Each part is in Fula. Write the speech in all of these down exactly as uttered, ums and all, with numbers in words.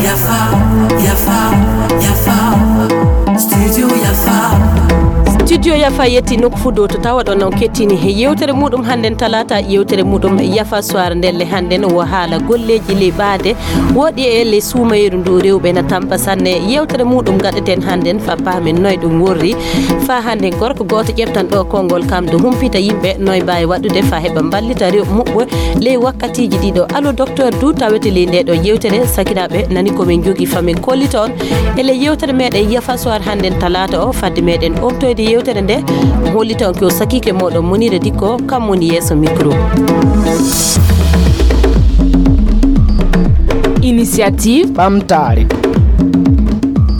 Yafa, yafa, yafa. Studio yafa. Studio yafa yetti nokku fuu dow to tawaɗon on kettini he yewtere muɗum hannden talaata, yewtere muɗum yafa soir ndelle hannden wo haala golleeji ley ɓaade woɗi e ley suumayru ndu rewɓe na tampa sanne. Yewtere muɗum gaɗeten hannden fa paamen noy ɗum worri. Fa hannden gorko gooto ƴeftan ɗo konngol kam do humpita yimɓe noy mbaawi waɗude fa heɓa mballita rew muɓɓe ley wakkatiiji ɗiɗo. Allo docteur du tawete ley nde ɗo yewtere. Sakiraaɓe nani ko min jogi fa min kollita on e ley yewtere meɗen yafa soir hannden talaata o. Fadde meɗen ɓoftoyde yewtere nde, hollita on ko sakiike moɗon Munira Dikko, kam woni yeeso micro. Initiative Ɓamtaare.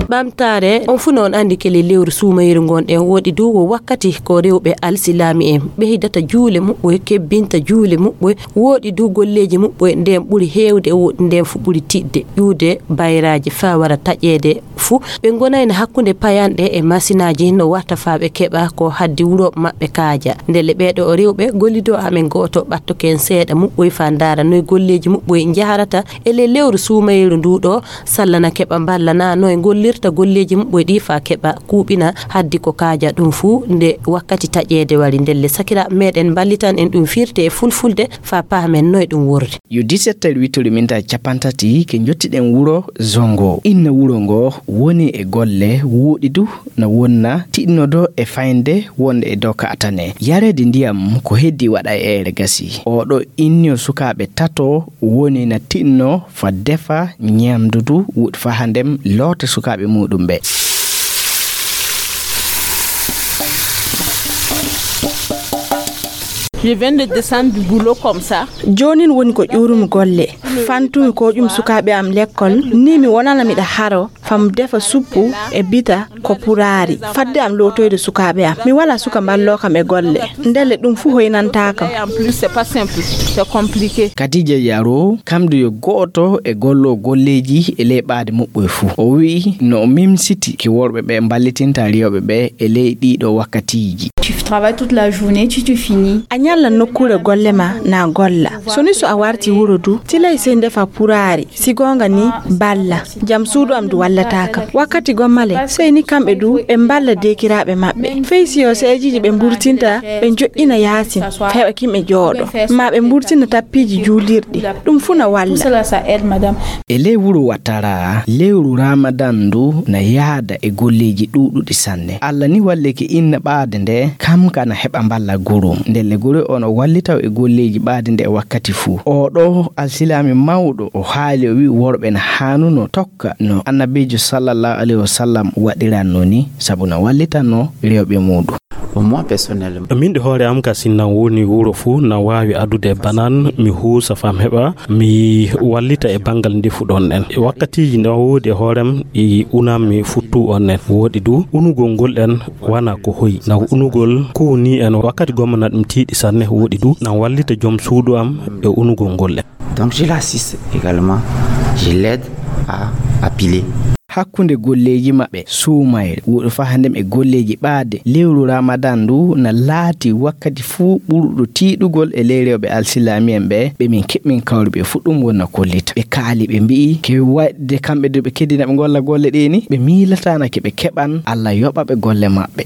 Ɓamtaare, on fuu no on anndi kele lewru suumayru ngon ɗen woɗi du wo wakkati ko rewɓe alsilaami en ɓeydata juule muɓɓoy, kebbinta juule muɓɓoy, woɗi du golleeji muɓɓoy nden ɓuri heewde woɗi nden fu ɓuri tiɗde ƴuude bayraaji fa wara taƴeede fuu. Ɓe ngonayno hakkunde payanɗe e masinaaji no warta fa ɓe keɓa ko haddi wuro maɓɓe kaaja. Ndelle ɓeeɗo o rewɓe gollido amen gooto ɓattoken seeɗa muɓɓoy fa ndaara noy golleeji muɓɓoy njaharata e ley lewru suumayru ndu ɗo, sallana keɓa mballana noy ngollirta golleeji muɓɓoy ɗi fa keɓa kuuɓina haddi ko kaaja ɗum fuu nde wakkati taƴeede wari. Ndelle sakira meɗen mballitan en ɗum firte e fulfulde fa paamen noy ɗum worri. Yo dix-sept heures huit heures minta capantati ke njottiɗen wuro Zongo. Inna wuro ngo woni e golle wuuɗi du na wonna tiɗnodo e faynde wonde e dow ka atane. Yareede ndiyam ko heddi waɗa e ere gasi. Oɗo inniyo sukaaɓe tato woni na tiɗno fa defa ñamdu du wuuɗi fa handem loota sukaaɓe muɗum ɓe. Je viens de descendre du boulot comme ça. Joonin woni ko ƴuurumi golle. Fantumi ko ƴum sukaaɓe am lekkol, ni mi wonana miɗa haro, fam defa suppu e bita ko puraari. Fadde am lootoyde sukaaɓe am. Mi wala suka mballoo kam e golle. Ndelle ɗum fuu hoynantaa kam. En plus, c'est pas simple, c'est compliqué. Kadija Yaro, kamdu yo gooto e gollo golleeji e ley ɓaade muɓɓoy fuu. O wi'i no o mimsiti ki worɓe ɓe mballitinta rewɓe ɓe e ley ɗiɗo wakkatiiji. Tu travailles toute la journée, tu, tu finis. A ñalla nokkuure golle ma na golla. So ni so a warti wuro du, tilay sey ndefa puraari. Si goonga ni, balla. Jam suudu am du wallataa kam. Wakkati gommale, sey ni kamɓe du ɓe mballa deekiraaɓe maɓɓe. Fey si yo seejiiji ɓe mburtinta, ɓe joƴƴina yaasin, fa heɓa kimɓe jooɗo. Ma ɓe mburtina tappiiji juulirɗi. Ɗum fuu na walla. Tout cela, ça aide, madame. E ley wuro Watara, lewru Ramadan ndu na yaada e golleeji ɗuuɗuɗi sanne. Allah ni wallike inna ɓaade nde, kam ka na heɓa mballa gorum. Ndelle gure o no wallita e golleeji ɓaade nde e wakkati fuu. O ɗo alsilaami mawɗo, o haali o wi'i worɓe na haanuno tokka no Annabiijo sallallahu alayhi wa sallam waɗiranno ni, sabu na wallitanno rewɓe muuɗum. Pour moi personnellement. Min de hoore am ka sinnan woni wuro fuu na waawi adude banan mi huusa fam heɓa mi wallita e banngal ndefu ɗon en. E wakkatiiji na woodi e hoorem ɗi unammi futtu on en. Woodi du unugol ngol en wana ko hoyi. Na unugol ko ni en wakkati gomma na ɗum tiiɗi sanne woodi du na wallita joom suudu am e unugol ngol en. Donc je l'assiste également, je l'aide à, à piler. Hakkunde golleeji maɓɓe, suumayre, wuuɗo fahndem e golleeji ɓaade, lewru Ramadan ndu na laati wakkati fuu ɓurɗo tiiɗugol e ley rewɓe alsilaami en ɓe, ɓe min keɓmin kawri ɓe fuu ɗum wona kollita. Ɓe kaali ɓe mbi'i, ke waɗde kamɓe de ɓe keddina ɓe ngolla golle ɗee ni, ɓe miilataana ke ɓe keɓan, Allah yoɓa ɓe golle maɓɓe.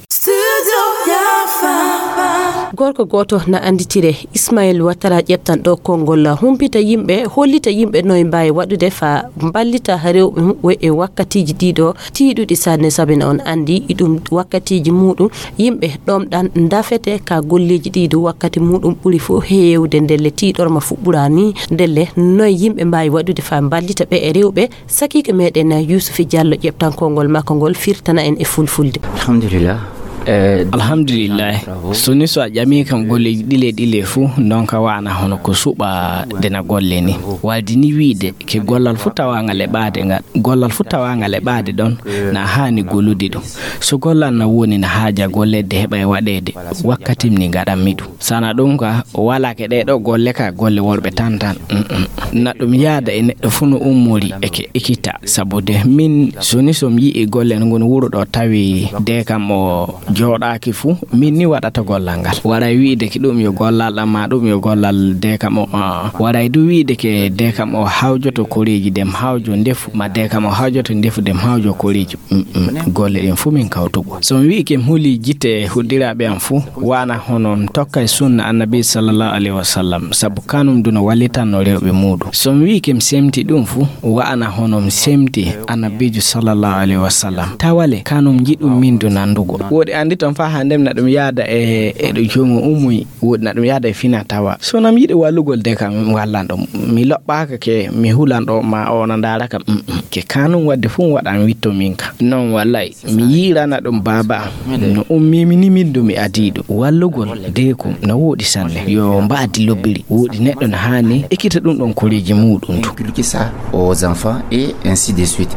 Gorko gooto na annditire Ismail Ouattara ƴeftan ɗo konngol, humpita yimɓe, hollita yimɓe no e mbaawi waɗude faa mballita rewɓe muɓɓe e wakkatiiji ɗiɗo tiiɗuɗi sanne, sabi na on anndi e ɗum wakkatiiji muuɗum yimɓe ɗomɗan ndafete ka golleeji ɗiɗo wakkati muuɗum ɓuri fof heewde ndelle tiiɗorma fuɗɗuraani ndelle noye yimɓe mbaawi waɗude faa mballita ɓe e rewɓe Sakiike meɗen Yuusufi Jallo ƴeftan konngol makko ngol firtana en e fulfulde. Alhamdulillah. Eh, Alhamdulillah. Bravo. So ni so a ƴami kam golleeji ɗile ɗile fuu ndonka waana hono ko suɓa dena golle ni. Waldi ni wiide ke gollal fuu tawangal e ɓaade ngal. Gollal fuu tawangal e ɓaade ɗon na haani gollude ɗum. So gollal na woni na haaja golleede heɓa e waɗeede wakkati ni ngaɗanmi ɗum. Sana ɗum ka, o wala ke ɗee ɗoo golle ka, golle worɓe tan tan. Mm, mm. Na ɗum yaada e neɗɗo fuu no ummori e ke ikita. Sabu de min, so ni so mi yi'i golle no ngoni wuro ɗo tawi de kam o Jooɗaaki fuu, min ni waɗata gollal ngal. Waray wi'de ki ɗum yo gollal am, maa ɗum yo gollal deekam o, aa. Waray du wi'de ke deekam o hawjoto koreeji dem hawjo ndefu, ma deekam o hawjoto ndefu dem hawjo koreeji. Mm, mm. Golle ɗen fuu min kawtugo. So mi wi'i ke mi huli jite huɗdiraaɓe am fuu, wa'ana hono mi tokkay sunna Annabi sallallahu alaihi wasallam, sabu kanum du no wallitanno rewɓe muuɗum. So mi wi'i ke mi semti ɗum fuu, wa'ana hono mi semti Annabiijo sallallahu alaihi wasallam. Tawale kanum njiɗum min du nandugo. Woodi anndi ton faa hannde na ɗum yaada e, e ɗo joomu ummoyi, woodi na ɗum yaada e fina tawa. So nam yiɗi wallugol de kam, mi wallan ɗum. Mi loɓɓaaka ke, mi hulan ɗo ma o na ndaara kam. Mm, mm. Ke kanum wadde fuu waɗan witto min ka. Non wallay, mi yi'irana ɗum baaba am. No ummimi ni min du mi adii ɗum. Wallugol deekum no wooɗi sanne. Yo mbaadi lobbiri. Wooɗi neɗɗo no haani ekkita ɗum ɗon koreeji muuɗum du. Inculquer ça aux enfants et ainsi de suite.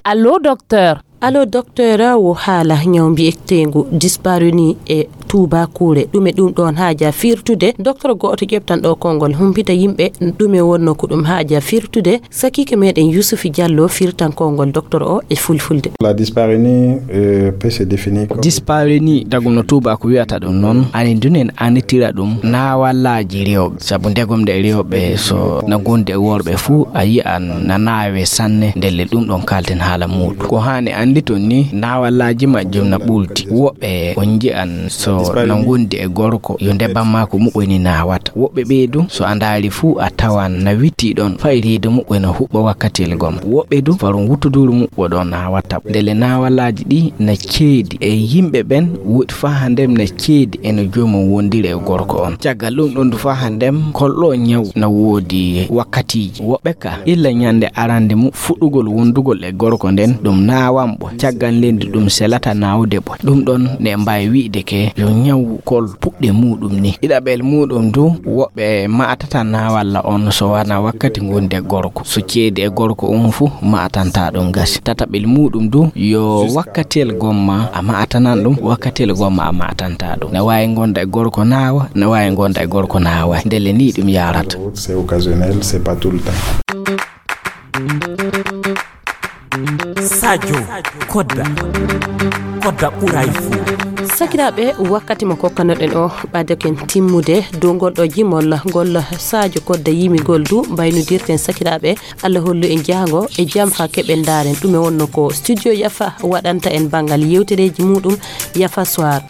Allô, docteur. Allô, docteur, wo haala ñaw mbi'eteengu dyspareunie e tuubakuure. Ɗume ɗum ɗoon haaja firtude? Docteur go'oto ƴeftan ɗo konngol, humpita yimɓe ɗume wonno ko ɗum haaja firtude. Sakiike meɗen Yusufi Jallo firtan konngol docteur o e fulfulde. La dyspareunie, euh, peut se définir comme... Dyspareunie, tagu no tuubaaku wi'ata ɗum noon, anin du nen annditira ɗum naawallaaji rewɓe. Sabu ndegom nde rewɓe so na ngondi e worɓe fuu, a yi'an na naawe sanne, ndelle ɗum ɗon kaalten haala muuɗum. Ko haani annditon ni, naawallaaji majjum na ɓulti. Woɓɓe on nji'an so na ngondi e gorko, yo ndebam maa ko muɓɓoni naawata. Woɓɓe ɓee du, so a ndaari fuu, a tawan na witti ɗon, fay reedu muɓɓen no huɓɓa wakkatiyel gom. Woɓɓe du, faro wuttuduuru muɓɓo ɗon naawata. Ndelle naawallaaji ɗi na ceedi e yimɓe ɓen, woodi faa hannde na ceedi e no joomum wondiri e gorko on. Caggal ɗum ɗon du faa hannde kolɗo ñaw na woodi wakkatiiji. Woɓɓe ka, illa ñande arande mu fuɗɗugol wondugol e gorko nden, ɗum naawan ɓe. Caggal nden du ɗum selata naawde ɓe. Ɗum ɗon ne mbaawi wi'de ke yo ñaw kol puɗɗe muuɗum ni. Ɗiɗaɓel muuɗum du, woɓɓe ma'atata naawalla on so wona wakkati ngondi e gorko. So ceedi e gorko on fuu ma'atanta ɗum gasi. Tataɓel muuɗum du, yo wakkatiyel gomma a ma'atanan ɗum, wakkatiyel gomma a ma'atanta ɗum. Ne waawi ngonda e gorko naawa, ne waawi ngonda e gorko naawa. Ndelle ni ɗum yaarata. C'est occasionnel, c'est pas tout le temps. Sadio Kodda. Kodda ɓuray fuu. Sakiraaɓe, wakkati mo kokkanoɗen o ɓadoken timmude dow ngol ɗo jimol ngol Sadio Kodda yimigol du mbaynodirten sakiraaɓe. Allah hollu en jahango e jam faa keɓen ndaaren ɗume wonno ko studio Yafa waɗanta en banngal yewtereeji muuɗum Yafa Soir.